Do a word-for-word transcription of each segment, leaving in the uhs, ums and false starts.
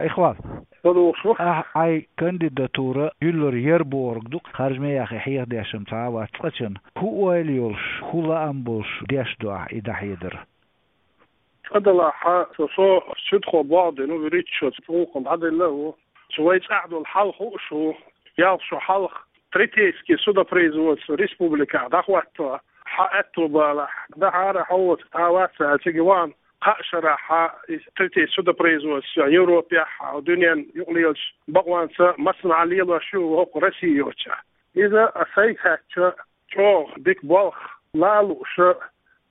Ихван, Салам. Ахь хьайн кандидатура юьллар яр бохург ду-кх, харжамех хьехадеш-м цхьа а вац цкъачунна. ХӀун ойла йолуш, хӀун лаам болуш деш ду ахь и дӀахьедар? Цкъа-делахь, со, со суьдхо болх бина ву, вуьрхӀитта шо цу гӀуллакхна дӀаделла а ву. Цу вай цӀахь долу хьал хууш ву, ялх шо хьалха третейский судопроизводство республикехь дӀахӀотто, хьан аьтто балахь, дахьара хьо воцург цхьа а вац аьлла, цига вахана, кхаа шарахь и третейский судопроизводство Европехь а, дуьненна юкъалелачу бакъонца массанхьа лелош ю хӀокху Россия йоцчохь. Иза а сайга хаьттича, чӀогӀа дика болх лан а лууш,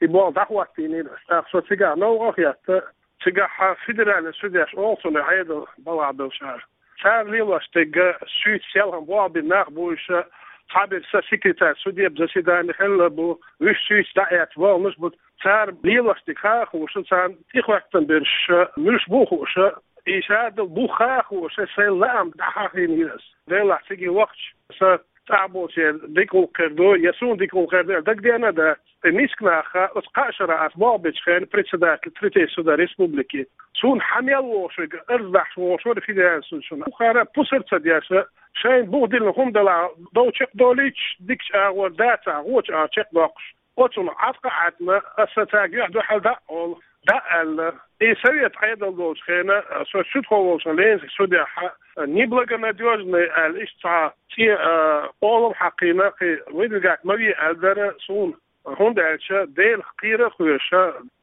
и болх дӀахӀоттийнера ас. ТӀаккха со цигахь новкъа а хетта, цигахь федеральный судьяш олу цунах, Ӏедал балхахь болчара. Цара лелош дерг, суьйца селхана болх бина нах бу уьш, цхьаберш, сан секретарь, судеб заседани хилла бу, уьш суьйца дӀаэцна болх бу. Цара лелош дерг хан а хууш, царна тӀехӀоьттина берш муьлш бу а хууш, и шадолу бух хан а хууш, сайн лаам дӀахьахийнера ас. Делахь цига вахча, сан цӀахь болчеран дика гӀуллакх хир ду, я суна дика гӀуллакх хир ду аьлла дагадеана а дац. И миска нах оцу кхаа шарахь ас болх бечу хенахь председатель третейского суда республики. Суна хьан мел вогӀуш верг арз дахьаш вогӀуш вара федеральный судья шуна. Бухара пусар ца деш, шайна бух диллина хӀума делахь, дов чекхдолуьйтуш, дикачу агӀор дацахь, гӀочу агӀор чекхдоккхуш. Оцунах Ӏаткъа а Ӏаьтна, аса цаьрга юьхь-дуьхьал дӀа а олу, дӀа а аьлла. И совет Ӏедал долчу хенахь, со суьдхо волчу Ленинский судехь, неблагонадёжный аьлла, иштта цхьа цӀе, а, къолам хьакхийна, кхин выдвигать ма ве аьлла дара суна. ХӀунда аьлча Делах кхера а кхоьруш,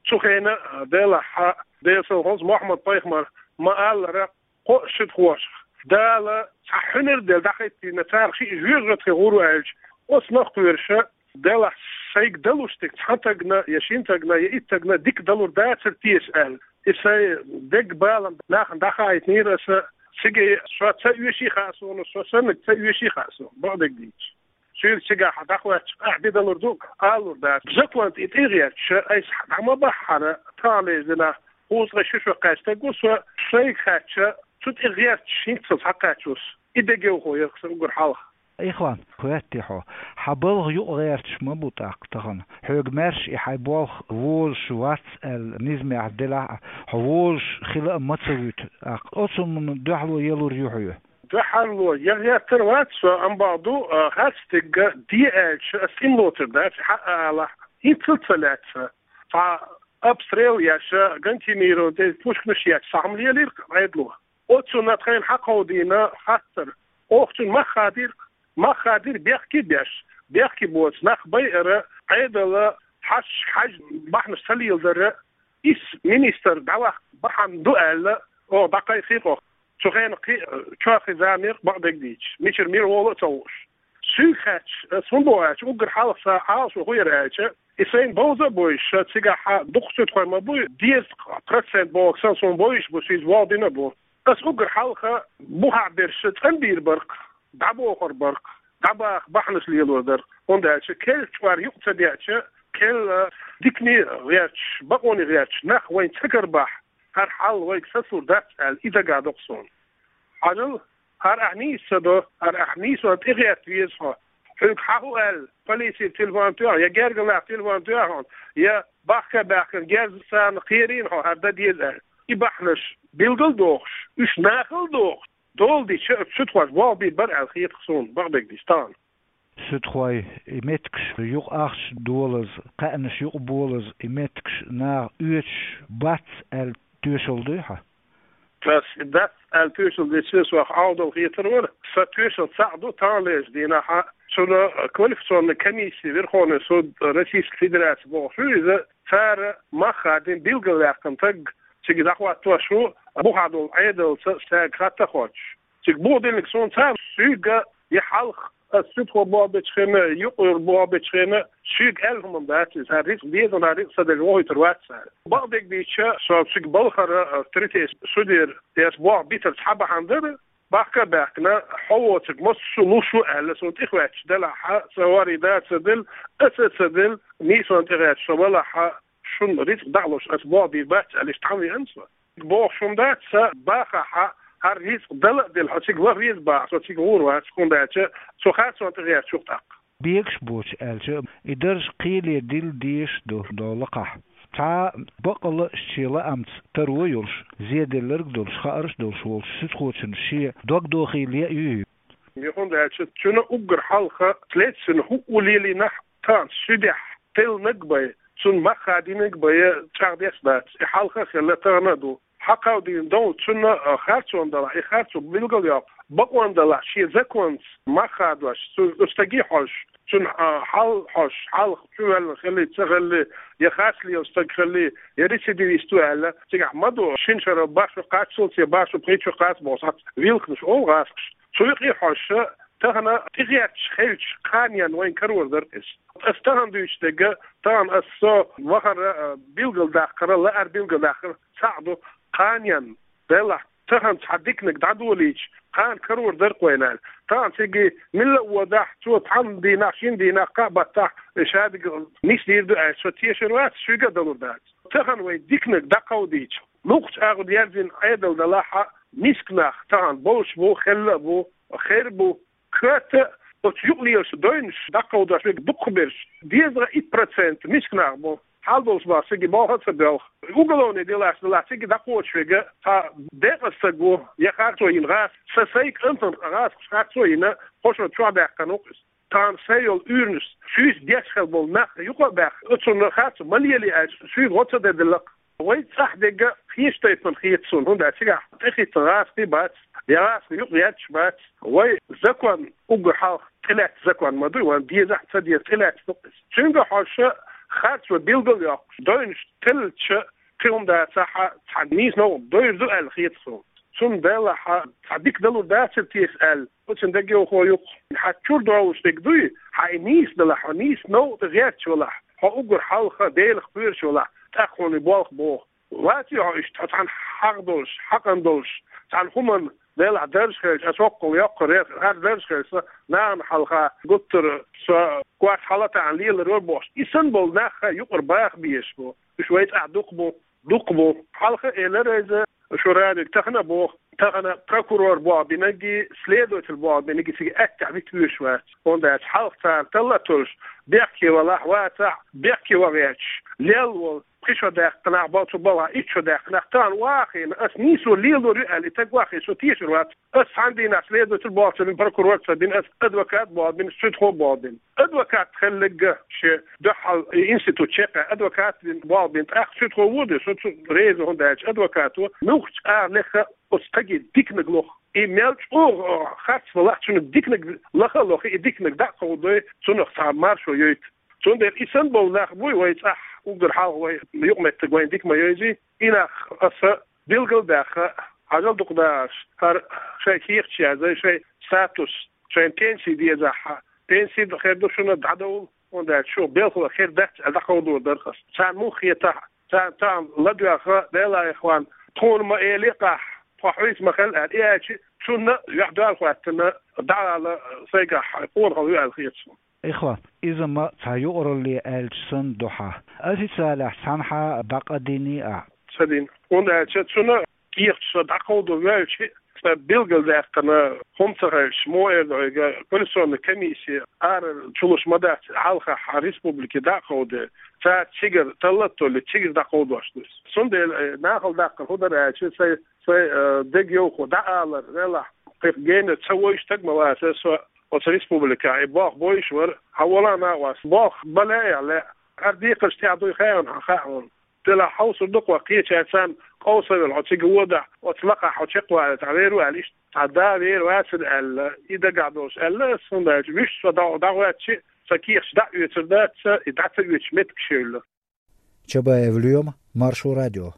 цу хенахь, а, делахь, Делан салхалла Мухьаммад-пайхамара ма-аллара, кхо а суьдхошах Дала цхьа хьуьнар а делла дӀахӀиттийна, царах шиъ жоьжахати хир ву аьлча, оцунах а кхоьруш, делахь сайга далуш дерг цхьана стагана, я шина стагана, я итт стагана дика далур дацара теша аьлла. И сайн деган балам нахана дӀахаийтинера аса, цига со ца оьший хаьа суна, со саннарг ца оьший хаьа суна, бакъдерг дийцича. Соьга цигахь дӀахӀоьттича, ахь де далур ду, алалур дац. Закон тӀе тӀе а гӀерташ, айса дӀа ма баххьара, таханлерчу дийнахь кхузткъе ши шо кхаьчна стаг ву со, сайга хаьттича, цу тӀе гӀерташ хӀинццалц схьакхаьчна ву со. И дегайовхо яра-кх сан уггар хьалха. Ихван, хоьттий хьо, хьан балха юкъа гӀерташ ма бу тӀаккха тахана. Хьоьга маьрша и хьайн болх возуш вац аьлла низамехь делахь а, хьо возуш хила а ма ца вуьту тӀаккха. Оцу хӀуманна дуьхьало ялур ю хьоьга? Дуьхьало ян гӀертар вац со, амма бакъ ду, а, харц дерг де аьлча, ас цӀена лоцур дац, хьан а алахь, хӀинццалц ца лаьцна. Цхьа обстрел еш, гранатомёташ, пушканаш еш, цхьа хӀума лелийра-кх Ӏедало. Оцунна тхайна хьакховдийна хаттар. Оха цунна мах хадийра-кх, мах хадийра бехке а беш, бехке боцу нах байар, Ӏедал хьашташ хьажа бахьанаш ца леладар, исс министр дӀаваккха бахьана ду аьлла, оха дӀакхайкхий-кх оха. Цу хенахь кхин а чохь хеза мега-кх, бакъдерг дийцича, мичара мила волу а ца хууш. Соьга хаьттича, ас хӀунда боху аьлча, уггар хьалха сан Ӏалашо хӀун яра аьлча, и сайна бовза а бовзуш, цигахь дукха суьдхой ма бу, дезткъа процент бохург санна суна бовзуш бу, со иза вогӀдина а бу. Ас уггар хьалха бухахь берш цӀанбийр бара-кх, дӀабохур бара-кх, дӀабаха бахьанаш лелор дара-кх. ХӀунда аьлча кхел чкъор юкъа ца деача, кхел дикане гӀерташ, бакъоне гӀерташ нах вайна ца карабахь, хӀара хьал вайга сацалур дац аьлла, и дагадо-кх суна. Хьажал, хӀара ахь нийса ца до, хӀара ахь нийсонна тӀегӀерта веза хьо. Хьоьга хьан хӀу аьлла, полицера телефон тоьхна, я гергарлахь телефон тоьхна, я бахка а баьхкина герз царна кхерийна хьо, хӀара дан деза аьлла. И бахьанаш билгал а дохуш, уьш нахала а дохуш, дола дича, оцу суьдхоша болх бийр бара аьлла хета-кх суна, бакъдерг дийцича, тахана. Суьдхой, и меттигаш юкъа ахча долаза, кхаьънаш юкъа болаза, и меттигаш наха оьцуш бац аьлла тоьшалла дуй хьан? Ас и дац аьлла тоьшалла деча, сох Ӏовдал хетар вара. Сан тоьшалла цхьаъ ду, таханлерчу дийнахь цунна квалификационный комиссия, Верховный суд Российской Федерации бохуш ю иза, цара мах хадийна билгалваьккхина стаг цига дӀахӀоттош ву, бухахь долу Ӏедалца стаге хатта а хоттуш. Цига буха диллинарг суна цхьа а, соьга я хьалха, ас суьдхо болх бечу хенахь, юкъара болх бечу хенахь, соьга аьлла хӀума дац иза, хӀара рицкъ деза, хӀара рицкъ ца деза вохуьйтур вац цара. Бакъдерг дийцича, со цига балхара, а, третейский судера, я ас болх битар цхьа бахьана дара, бахка а баьхкина, хьо воцург массо а луш ву аьлла, суна тӀехӀоьттича делахь, сан ворхӀе да а ца делла, ас а ца делла, нийсонна тӀегӀерташ со валахь, шуна рицкъ дӀа а луш, ас болх бийр бац аьлла, иштта хьан веана со? Бохуш хӀума дац, сан бахахь, хӀара рицкъ дала а делла, хьо цига ваха веза боху, со цига гӀур вац, хӀунда аьлча цу харцонна тӀегӀерташ ву-кх тӀаккха. Бегаш боцуш аьлча, и дарж кхеле дилла дезаш ду, долу лакхахь. Цхьа бакъалла а шен лаамца таро йолуш, зеделларг а долуш, хаарш а долуш волчу суьдхочун шен дог дохийла яа юй? Юхуна даьлча, цуьнан уггар хьалха, следствина хӀуъу лелийнехь, тахана суьдехь теллинарг бен, цунна мах хадийнарг бен чӀагӀдеш дац. И хьалха а хилла, тахана а ду. Хьакховдийна долу цунна, а, харцонан делахь, и харцо билгалйоккху, бакъонан делахь, шен законца мах хадош, цу, цу стаге хьожуш, цуьнан, а, хьал хьожуш, хьалха чувоьллина хилли, ца хилли, я харц лела стаг хилли, я рецидивист ву аьлла, цигахь ма ду, шина шарал баш ву кхаччалц, я баш ву пхийтта шо кхац боху схьацца вилханаш олу гӀазкхаша. Цу юкъе хьожуш, тахана тӀехӀоьттича хилча, кханенна вайн карор дара иза. Ас тахана дуьйцуш дерг, тахана ас со вахара, а, билгалдаккхара, лаара билгалдаккхара цхьаъ ду, кханенна, делахь, тахана цхьа диканиг дӀадолийча, кхана карор дара-кх вайна аьлла. Тахана цига милла а водахь, цо цхьана дийнахь, шина дийнахь, кхаа баттахь шадерг нисдийр ду аьлча, со тешар вац, шуьга а далур дац. Тахана вай диканиг дӀакховдийча, лукхачу агӀор ерзина Ӏедал далахь а, миска нах тахана болуш бу, хилла а бу, хир бу, коьрта оцу юкъа лелаш девнаш дӀакховдош верг дукхахберш, дезткъа итт процент миска нах бу, хьал долуш бахьа цига болх а ца боьлху. Уголовный делаш делахь цига дӀакхочуш верг цхьа декъаза стаг ву, я харцо йина гӀазкх, сан сайн кӀантана гӀазкхаша харцо йина, кхо шо чохь даьккхина ву-кх иза. Тахана сайн йолу уьйранаш, шуьйца деш хила болу нах юкъа а баьхна, оцунна харцо ма лелий аьлча, шуьга гӀо ца дан делла-кх. Вай цӀахь дерг кхечу тайпана хета суна, хӀунда аьлча цигахь тӀехӀиттина гӀазкхий бац, я гӀазкхий юкъа етташ бац. Вай закон уггар хьалха тӀелаьцна закон ма дуй, вайн дезахь а, ца деза тӀелаьцна ду иза. Цуьнга хьожуш, харцо билгалйоккхуш, девнаш теллича, кхин хӀума дацахь а, цхьа нийса новкъа довр ду аьлла хета суна. Цундела хьан цхьа дика далур дацара теша аьлла, оцу дегайовхо юкъа. Хьан чуьра довлуш дерг дуй, хьан и нийса далахь, хьо нийса новкъа тӀе гӀерташ валахь, хьо уггар хьалха Делах кхоьруш валахь, тӀаккха хьуна и болх боху. Ваций хьо иштта, хьо цхьана хьагӀ долуш, хьакъан долуш, цхьана хӀуманна, делахь, дарж хилча, аса воккхал йоккхур яра, хӀара дарж хилча, нахана хьалха гуттара со коч хьала а таьӀна лелар вара бохуш. И санна болу нах юкъара баха безаш бу. Уьш вай цӀахь дукха бу, дукха бу. Хьалха а элира иза, шу радига тахана а боху, тахана прокурор болх бинарг а, следователь болх бинарг а цига аьттехьа вита вуьйш вац. ХӀунда аьлча хьалха царна талла а толлуш, бехке валахь, вацахь, бехке ван гӀерташ, лелла волу, пхи шо даьккхинарг бу, цу балхахь итт шо даьккхинарг, тахана вахийна, ас нийсо лелор ю аьлла, и стаг вахийна, со тешар вац. Ас цхьана дийнахь следователь болх ца бина, прокурор ца бина, ас адвокат болх бина, суьдхо болх бина. Адвокат хилларг а шен дуьхьал институт чекхъяьлла, адвокат бина болх бина, тӀаккха суьдхо ву а ду, со цу реза, хӀунда аьлча адвокато муьлххачу агӀор леха оцу стаге диканиг лоху. И мел чӀогӀа харц валахь, цуьнан диканиг лаха а лохий, и диканиг дӀа а кховдой, цунах цхьа маршо йойту. Цундела и санна болу нах буй вай цӀахь, уггар хьалха вай юкъаметтиг вайна дика ма йовзий, и нах аса билгал а баьхна, хьажал дукха дахарш, хӀара шайн кехаташ язъяй, шайн статус, шайна пенси дезахь, пенси хир ду шуна, дӀадовла, хӀунда аьлча шу белхалой хир дац аьлла дӀакховдор дара аса. Царна муха хетахь, царна тахана ладоьгӀна, Делан Ӏехаван, тхуна ма элий-кх ахь, тхо хьуьйца ма хила аьлла, и аьлча, цунна юьхь-дуьхьал хӀоьттина дӀаала сайгахь къонахалла ю аьлла хета суна. Ихван, иза ма цхьа юкъаралле аьлча санна ду хьан. Официалехь цхьанхьа дӀакхайдиний ахь? Ца дина. ХӀунда аьлча цунна кехаташ со дӀакховдо ваьлча, сан билгалдаьккхина хӀума ца хилча, мо эр ду хьоьга, коллекционная комиссия ара чулуш ма дац, хьалхахь республике дӀакховдо. Цара цигара талла а толлий, цигара дӀакховдош ду иза. Цундела, э, нахала даккхар хӀун дара аьлча, сайн, сайн, э, дегайовхо дӀаалар, велахь, кхин генара ца войуш стаг ма вацара со оцу республикехь, и болх бойуш вара, хьан вала а накъост, болх бан лаьа а лаьа. ХӀара декхарш тӀехь дуй хаьий хьуна, хьан хаьа хьуна? Делахь хьовсур ду-кх вай, кхечаьрца цхьаьна къовса а велла, хьо цига водахь, оцу лакхахь хьо чекхвалийта хьан вер ву аьлла, иштта цхьа да вер вацара аьлла, и дагахь долуш аьлла ас, хӀунда аьлча вуьшта со дӀа-, дӀахӀоьттича, сан кехаташ дӀа а оьцур дац, и дӀа ца оьцуш меттигаш евлла. Чабаев Лоьма, Маршо радио.